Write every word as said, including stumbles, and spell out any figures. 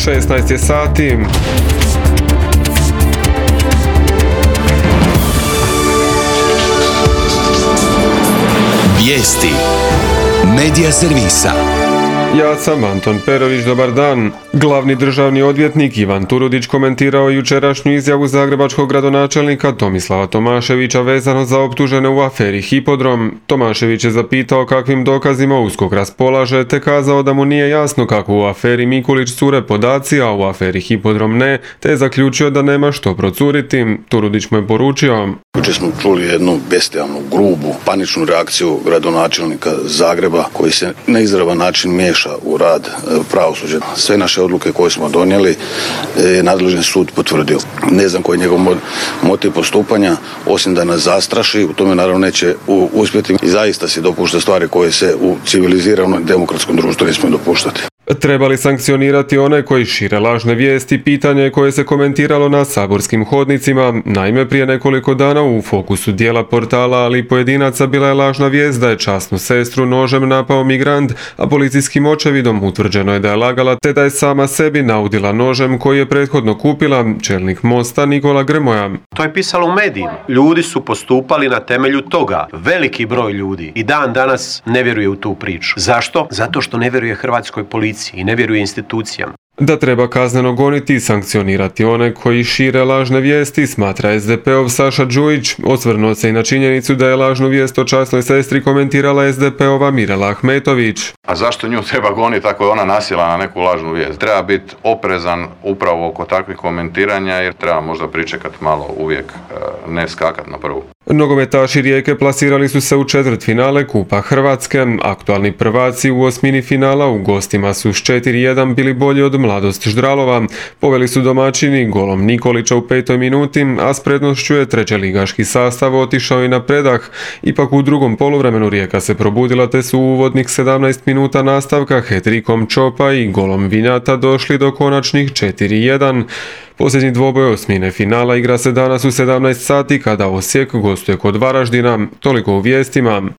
šesnaest je sati. Vijesti Medija servisa. Ja sam Anton Perović, dobar dan. Glavni državni odvjetnik Ivan Turudić komentirao jučerašnju izjavu zagrebačkog gradonačelnika Tomislava Tomaševića vezano za optužene u aferi Hipodrom. Tomašević je zapitao kakvim dokazima USKOK raspolaže, te kazao da mu nije jasno kako u aferi Mikulić cure podaci, a u aferi Hipodrom ne, te je zaključio da nema što procuriti. Turudić mu je poručio: Jučer smo čuli jednu bestijalnu, grubu, paničnu reakciju gradonačelnika Zagreba koji se na izravan način miješa u rad pravosuđa. Sve naše odluke koje smo donijeli je nadležni sud potvrdio. Ne znam koji je njegov motiv postupanja, osim da nas zastraši, u tome naravno neće uspjeti i zaista si dopušta stvari koje se u civiliziranom demokratskom društvu ne smije dopuštati. Treba li sankcionirati one koji šire lažne vijesti, pitanje je koje se komentiralo na saborskim hodnicima. Naime, prije nekoliko dana u fokusu dijela portala, ali i pojedinaca, bila je lažna vijest da je časnu sestru nožem napao migrant, a policijskim očevidom utvrđeno je da je lagala te da je sama sebi naudila nožem koji je prethodno kupila čelnik Mosta Nikola Grmoja. To je pisalo u medijima. Ljudi su postupali na temelju toga. Veliki broj ljudi i dan danas ne vjeruje u tu priču. Zašto? Zato što ne vjeruje hrvatskoj policiji i ne vjeruje institucijama. Da treba kazneno goniti i sankcionirati one koji šire lažne vijesti, smatra es de pe ov Saša Đujić. Osvrnuo se i na činjenicu da je lažnu vijest o časnoj sestri komentirala es de pe ova Mirela Ahmetović. A zašto nju treba goniti ako je ona nasjela na neku lažnu vijest? Treba biti oprezan upravo oko takvih komentiranja jer treba možda pričekati malo, uvijek ne skakati na prvu. Nogometaši Rijeke plasirali su se u četvrtfinale Kupa Hrvatske. Aktualni prvaci u osmini finala u gostima su s četiri jedan bili bolji od Mladost Ždralova. Poveli su domaćini golom Nikolića u petoj minuti, a s prednošću je trećeligaški sastav otišao i na predah. Ipak u drugom poluvremenu Rijeka se probudila te su u uvodnih sedamnaest minuta nastavka hetrikom Čopa i golom Vinjata došli do konačnih četiri jedan. Posljednji dvoboj osmine finala igra se danas u sedamnaest sati kada Osijek gostuje kod Varaždina. Toliko u vijestima.